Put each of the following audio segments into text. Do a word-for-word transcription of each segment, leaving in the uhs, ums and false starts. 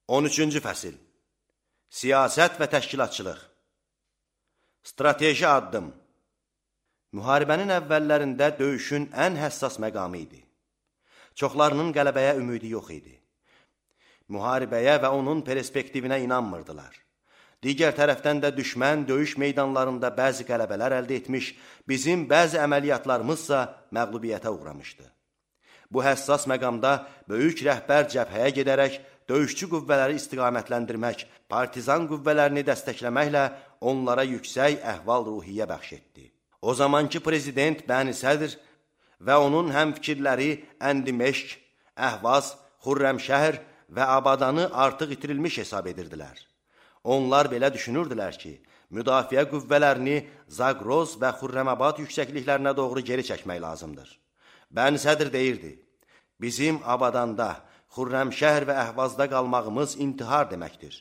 on üçüncü fəsil. Siyasət və təşkilatçılıq. Strateji addım. Müharibənin əvvəllərində döyüşün ən həssas məqamı idi. Çoxlarının qələbəyə ümidi yox idi. Müharibəyə və onun perspektivinə inanmırdılar. Digər tərəfdən də düşmən döyüş meydanlarında bəzi qələbələr əldə etmiş, bizim bəzi əməliyyatlarımızsa məğlubiyyətə uğramışdı. Bu həssas məqamda böyük rəhbər cəbhəyə gedərək, döyüşçü qüvvələri istiqamətləndirmək, partizan qüvvələrini dəstəkləməklə onlara yüksək əhval-ruhiyyə bəxş etdi. O zamanki prezident Bəni Sədr və onun həmfikirləri Əndimeşk, Əhvaz, Xürrəmşəhr və Abadanı artıq itirilmiş hesab edirdilər. Onlar belə düşünürdülər ki, müdafiə qüvvələrini Zaqroz və Xürrəmabad yüksəkliklərinə doğru geri çəkmək lazımdır. Bəni Sədr deyirdi, bizim Abadanda, Xürrəmşəhr və Əhvazda qalmağımız intihar deməkdir.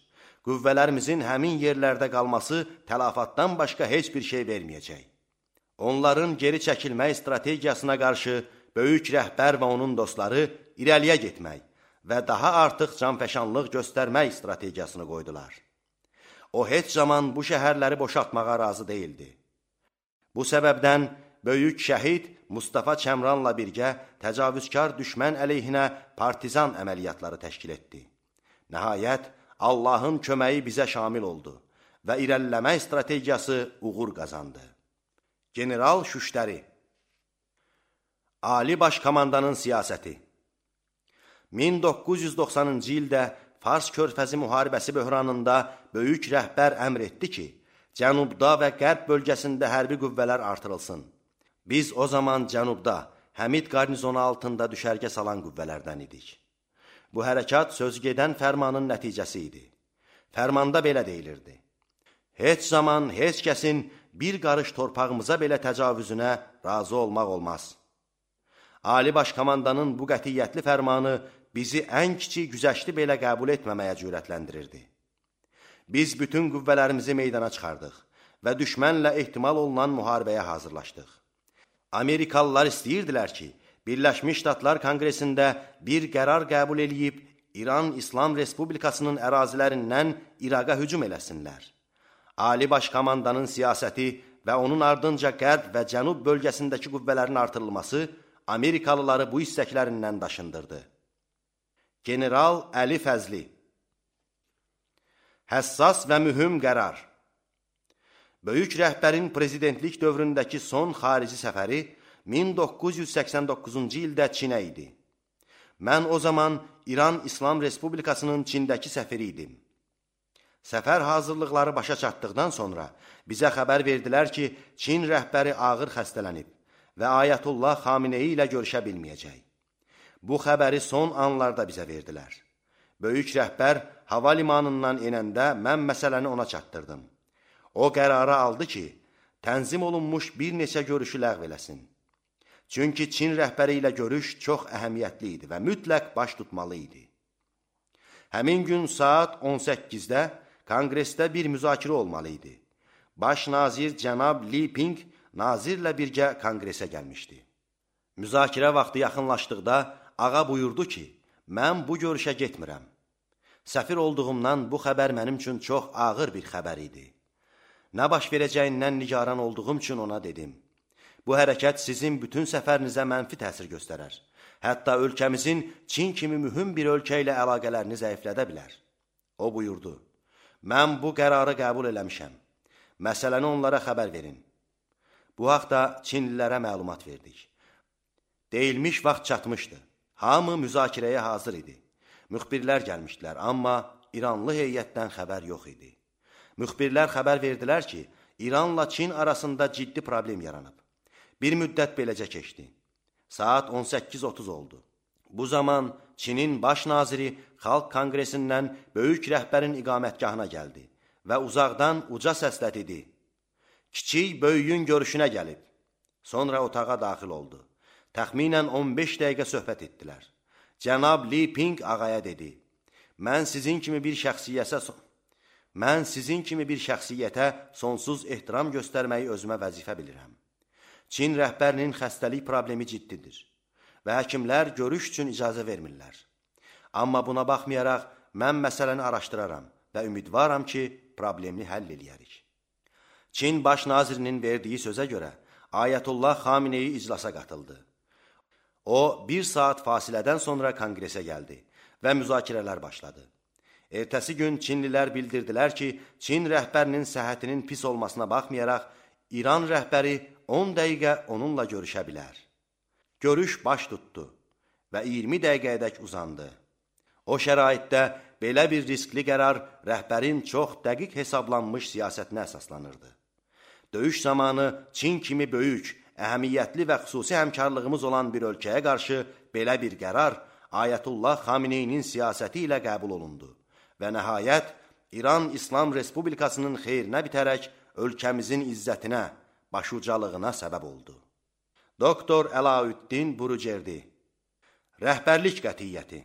Qüvvələrimizin həmin yerlərdə qalması təlafatdan başqa heç bir şey verməyəcək. Onların geri çəkilmək strategiyasına qarşı böyük rəhbər və onun dostları irəliyə getmək və daha artıq canfəşanlıq göstərmək strategiyasını qoydular. O heç zaman bu şəhərləri boşaltmağa razı deyildi. Bu səbəbdən böyük şəhid Mustafa Çəmranla birgə təcavüzkar düşmən əleyhinə partizan əməliyyatları təşkil etdi. Nəhayət, Allahın köməyi bizə şamil oldu və irəliləmək strategiyası uğur qazandı. General Şüştəri. Ali Baş Komandanın siyasəti. min doqquz yüz doxsanıncı ildə Fars körfəzi müharibəsi böhranında böyük rəhbər əmr etdi ki, cənubda və qərb bölgəsində hərbi qüvvələr artırılsın. Biz o zaman cənubda, Həmid qarnizonu altında düşərgə salan qüvvələrdən idik. Bu hərəkat sözgedən fərmanın nəticəsi idi. Fərmanda belə deyilirdi. Heç zaman heç kəsin bir qarış torpağımıza belə təcavüzünə razı olmaq olmaz. Ali Baş Komandanın bu qətiyyətli fərmanı bizi ən kiçik güzəşti belə qəbul etməməyə cürətləndirirdi. Biz bütün qüvvələrimizi meydana çıxardıq və düşmənlə ehtimal olunan müharibəyə hazırlaşdıq. Amerikalılar istəyirdilər ki, Birləşmiş Ştatlar Konqresində bir qərar qəbul eləyib İran İslam Respublikasının ərazilərindən İraqa hücum eləsinlər. Ali Baş Komandanın siyasəti və onun ardınca qərb və cənub bölgəsindəki qüvvələrin artırılması Amerikalıları bu istəklərindən daşındırdı. General Əli Fəzli. Həssas və mühüm qərar. Böyük rəhbərin prezidentlik dövründəki son xarici səfəri min doqquz yüz səksən doqquzuncu ildə Çinə idi. Mən o zaman İran İslam Respublikasının Çindəki səfiri idim. Səfər hazırlıqları başa çatdıqdan sonra bizə xəbər verdilər ki, Çin rəhbəri ağır xəstələnib və Ayətullah Xameneyi ilə görüşə bilməyəcək. Bu xəbəri son anlarda bizə verdilər. Böyük rəhbər hava limanından enəndə mən məsələni ona çatdırdım. O qərarı aldı ki, tənzim olunmuş bir neçə görüşü ləğv eləsin. Çünki Çin rəhbəri ilə görüş çox əhəmiyyətli idi və mütləq baş tutmalı idi. Həmin gün saat on səkkizdə Konqresdə bir müzakirə olmalı idi. Baş nazir cənab Li Ping nazirlə birgə Konqresə gəlmişdi. Müzakirə vaxtı yaxınlaşdıqda ağa buyurdu ki, mən bu görüşə getmirəm. Səfir olduğumdan bu xəbər mənim üçün çox ağır bir xəbər idi. Nə baş verəcəyindən nigaran olduğum üçün ona dedim. Bu hərəkət sizin bütün səfərinizə mənfi təsir göstərər. Hətta ölkəmizin Çin kimi mühüm bir ölkə ilə əlaqələrini zəiflədə bilər. O buyurdu, mən bu qərarı qəbul eləmişəm. Məsələni onlara xəbər verin. Bu haqda Çinlilərə məlumat verdik. Deyilmiş vaxt çatmışdı. Hamı müzakirəyə hazır idi. Müxbirlər gəlmişdilər, amma İranlı heyətdən xəbər yox idi. Müxbirlər xəbər verdilər ki, İranla Çin arasında ciddi problem yaranıb. Bir müddət beləcə keçdi. Saat on səkkiz otuz oldu. Bu zaman Çinin baş naziri Xalq Konqresindən böyük rəhbərin iqamətgahına gəldi və uzaqdan uca səslə dedi. Kiçik böyüyün görüşünə gəlib. Sonra otağa daxil oldu. Təxminən on beş dəqiqə söhbət etdilər. Cənab Li Ping ağaya dedi, mən sizin kimi bir şəxsiyyətə mən sizin kimi bir şəxsiyyətə sonsuz ehtiram göstərməyi özümə vəzifə bilirəm. Çin rəhbərinin xəstəlik problemi ciddidir və həkimlər görüş üçün icazə vermirlər. Amma buna baxmayaraq, mən məsələni araşdıraram və ümidvaram ki, problemi həll eləyərik. Çin baş nazirinin verdiyi sözə görə Ayətullah Xameneyi iclasa qatıldı. O, bir saat fasilədən sonra konqresə gəldi və müzakirələr başladı. Ertəsi gün Çinlilər bildirdilər ki, Çin rəhbərinin səhhətinin pis olmasına baxmayaraq, İran rəhbəri on dəqiqə onunla görüşə bilər. Görüş baş tutdu və iyirmi dəqiqəyədək uzandı. O şəraitdə belə bir riskli qərar rəhbərin çox dəqiq hesablanmış siyasətinə əsaslanırdı. Döyüş zamanı Çin kimi böyük, əhəmiyyətli və xüsusi həmkarlığımız olan bir ölkəyə qarşı belə bir qərar Ayətullah Xameneyinin siyasəti ilə qəbul olundu və nəhayət İran İslam Respublikasının xeyrinə bitərək ölkəmizin izzətinə, başucalığına səbəb oldu. Doktor Əlaüddin Burucerdi. Rəhbərlik qətiyyəti.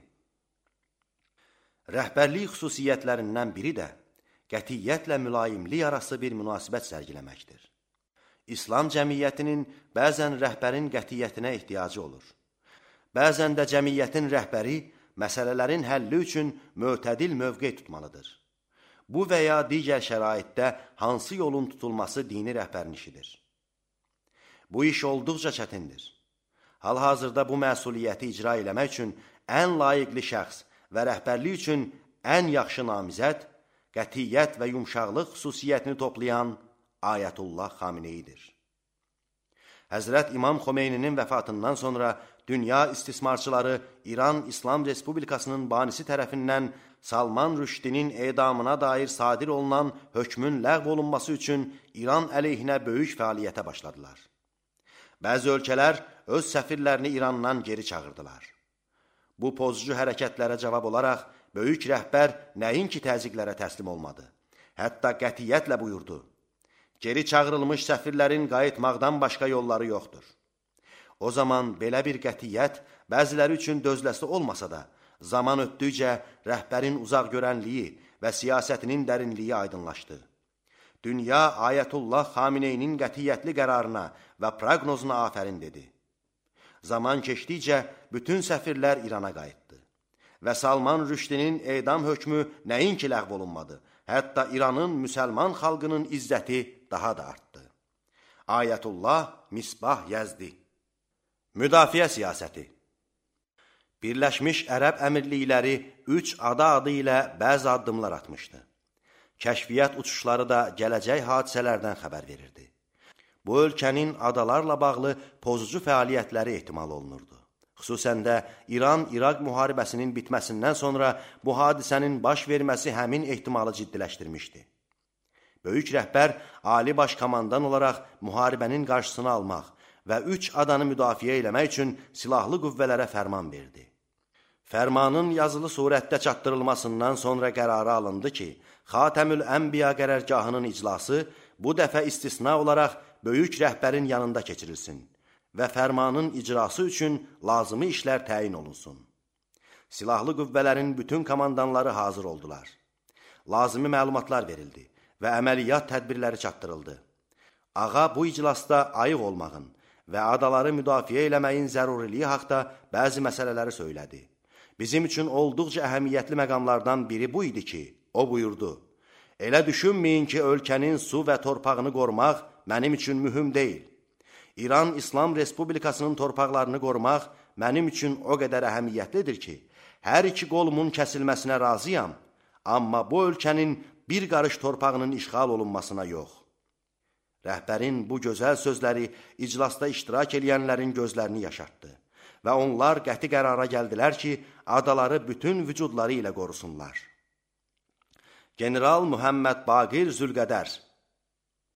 Rəhbərlik xüsusiyyətlərindən biri də qətiyyətlə mülayimlik arası bir münasibət sərgiləməkdir. İslam cəmiyyətinin bəzən rəhbərin qətiyyətinə ehtiyacı olur. Bəzən də cəmiyyətin rəhbəri məsələlərin həlli üçün mötədil mövqe tutmalıdır. Bu və ya digər şəraitdə hansı yolun tutulması dini rəhbərin işidir. Bu iş olduqca çətindir. Hal-hazırda bu məsuliyyəti icra eləmək üçün ən layiqli şəxs və rəhbərlik üçün ən yaxşı namizəd, qətiyyət və yumşaqlıq xüsusiyyətini toplayan Ayətullah Xameneyidir. Həzrət İmam Xomeyninin vəfatından sonra dünya istismarçıları İran İslam Respublikasının banisi tərəfindən Salman Rüşdinin edamına dair sadir olunan hökmün ləğv olunması üçün İran əleyhinə böyük fəaliyyətə başladılar. Bəzi ölkələr öz səfirlərini İrandan geri çağırdılar. Bu pozucu hərəkətlərə cavab olaraq böyük rəhbər nəinki təzyiqlərə təslim olmadı, hətta qətiyyətlə buyurdu: Geri çağırılmış səfirlərin qayıtmaqdan başqa yolları yoxdur. O zaman belə bir qətiyyət bəziləri üçün dözləsi olmasa da, zaman ötdükcə rəhbərin uzaq görənliyi və siyasətinin dərinliyi aydınlaşdı. Dünya Ayətullah Xameneyinin qətiyyətli qərarına və proqnozuna afərin dedi. Zaman keçdikcə bütün səfirlər İrana qayıtdı və Salman Rüşdinin edam hökmü nəinki ləğv olunmadı, hətta İranın müsəlman xalqının izzəti daha da artdı. Ayətullah Misbah Yəzdi. Müdafiə siyasəti. Birləşmiş Ərəb Əmirlikləri üç ada adı ilə bəzi addımlar atmışdı. Kəşfiyyat uçuşları da gələcək hadisələrdən xəbər verirdi. Bu ölkənin adalarla bağlı pozucu fəaliyyətləri ehtimal olunurdu. Xüsusən də İran-İraq müharibəsinin bitməsindən sonra bu hadisənin baş verməsi həmin ehtimalı ciddiləşdirmişdi. Böyük rəhbər Ali Baş Komandan olaraq müharibənin qarşısını almaq və üç adanı müdafiə eləmək üçün silahlı qüvvələrə fərman verdi. Fərmanın yazılı surətdə çatdırılmasından sonra qərarı alındı ki, Xatəmül Ənbiya qərargahının iclası bu dəfə istisna olaraq böyük rəhbərin yanında keçirilsin və fərmanın icrası üçün lazımi işlər təyin olunsun. Silahlı qüvvələrin bütün komandanları hazır oldular. Lazımi məlumatlar verildi və əməliyyat tədbirləri çatdırıldı. Ağa bu iclasda ayıq olmağın və adaları müdafiə eləməyin zəruriliyi haqda bəzi məsələləri söylədi. Bizim üçün olduqca əhəmiyyətli məqamlardan biri bu idi ki, o buyurdu: Elə düşünməyin ki, ölkənin su və torpağını qorumaq mənim üçün mühüm deyil. İran İslam Respublikasının torpaqlarını qorumaq mənim üçün o qədər əhəmiyyətlidir ki, hər iki qolumun kəsilməsinə razıyam, amma bu ölkənin bir qarış torpağının işğal olunmasına yox. Rəhbərin bu gözəl sözləri iclasda iştirak edənlərin gözlərini yaşartdı və onlar qəti qərara gəldilər ki, adaları bütün vücudları ilə qorusunlar. General Muhammed Baqir Zülqədər.